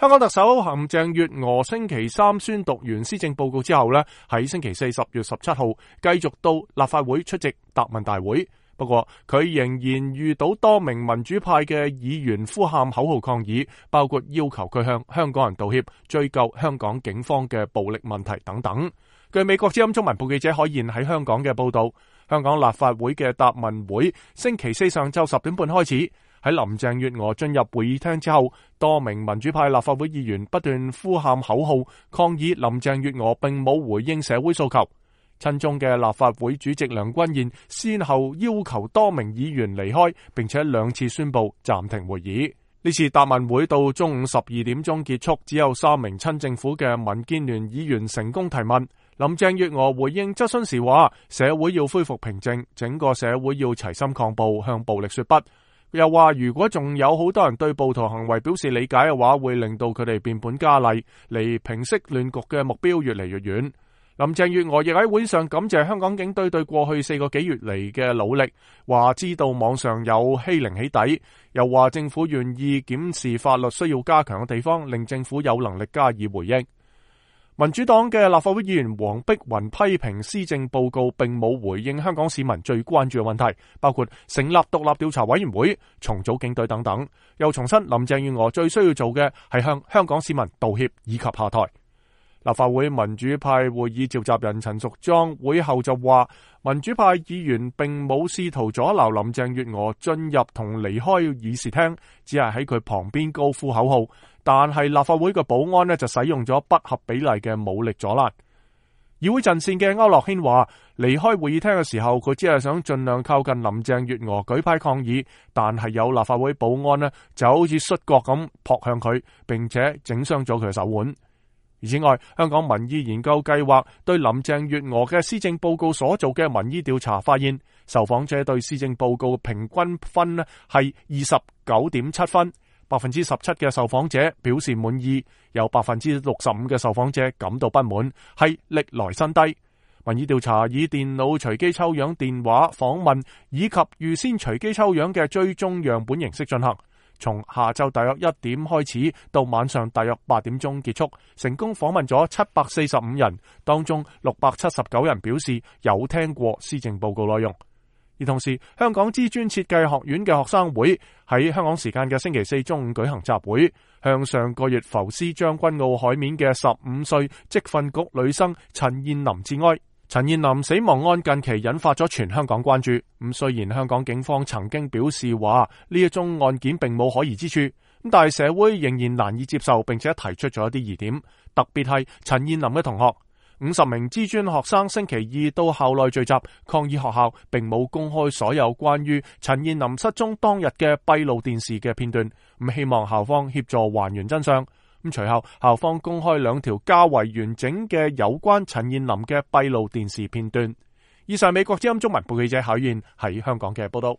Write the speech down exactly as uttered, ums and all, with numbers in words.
香港特首林鄭月娥星期三宣讀完施政報告之後呢，喺星期四十月十七號繼續到立法會出席答問大會。不過佢仍然遇到多名民主派嘅議員呼喊口號抗議，包括要求佢向香港人道歉、追究香港警方嘅暴力問題等等。據美國之音中文部記者海燕喺香港嘅報道，香港立法會嘅答問會星期四上晝十點半開始。喺林鄭月娥進入會議廳之後，多名民主派立法會議員不斷呼喊口號，抗議林鄭月娥並冇回應社會訴求。親中嘅立法會主席梁君彥先後要求多名議員離開，並且兩次宣布暫停會議。呢次答問會到中午十二點鐘結束，只有三名親政府嘅民建聯議員成功提問。林鄭月娥回應質詢時話：社會要恢復平靜，整個社會要齊心抗暴，向暴力說不。又話如果仲有好多人對暴徒行為表示理解嘅話，會令到佢哋變本加厲，離平息亂局嘅目標越嚟越遠。林鄭月娥亦喺會上感謝香港警隊對過去四個幾月嚟嘅努力，話知道網上有欺凌起底，又話政府願意檢視法律需要加強嘅地方，令政府有能力加以回應。民主黨嘅立法會議員黃碧雲批評施政報告並冇回應香港市民最關注嘅問題，包括成立獨立調查委員會、重組警隊等等。又重申林鄭月娥最需要做嘅係向香港市民道歉以及下台。立法會民主派會議召集人陳淑莊會後就話，民主派議員並冇試圖阻撓林鄭月娥進入同離開議事廳，只係喺佢旁邊高呼口號。但係立法會嘅保安呢，就使用咗不合比例嘅武力阻攔。議會陣線嘅區諾軒話，離開會議廳嘅時候，佢只係想盡量靠近林鄭月娥舉牌抗議，但係有立法會保安呢，就好似摔角咁撲向佢，並且整傷咗佢嘅手腕。而此外，香港民意研究計劃對林鄭月娥嘅施政報告所做嘅民意調查發現，受訪者對施政報告平均分呢係二十九點七分，百分之十七嘅受訪者表示滿意，有百分之六十五嘅受訪者感到不滿，係歷來新低。民意調查以電腦隨機抽樣、電話訪問以及預先隨機抽樣嘅追蹤樣本形式進行。從下晝大約一點開始到晚上大約八點鐘結束，成功訪問咗七百四十五人，當中六百七十九人表示有聽過施政報告內容。而同時，香港知專設計學院嘅學生會喺香港時間嘅星期四中午舉行集會，向上個月浮屍將軍澳海面嘅十五歲職訓局女生陳彥霖致哀。陳彥霖死亡案近期引發咗全香港關注。咁雖然香港警方曾經表示話呢一宗案件並冇可疑之處，咁但係社會仍然難以接受，並且提出咗一啲疑點。特別係陳彥霖嘅同學，五十名知專學生星期二到校內聚集抗議學校並冇公開所有關於陳彥霖失蹤當日嘅閉路電視嘅片段，咁希望校方協助還原真相。咁隨後校方公開兩條較為完整嘅有關陳彥霖嘅閉路電視片段。以上美國之音中文部記者海燕喺香港嘅報道。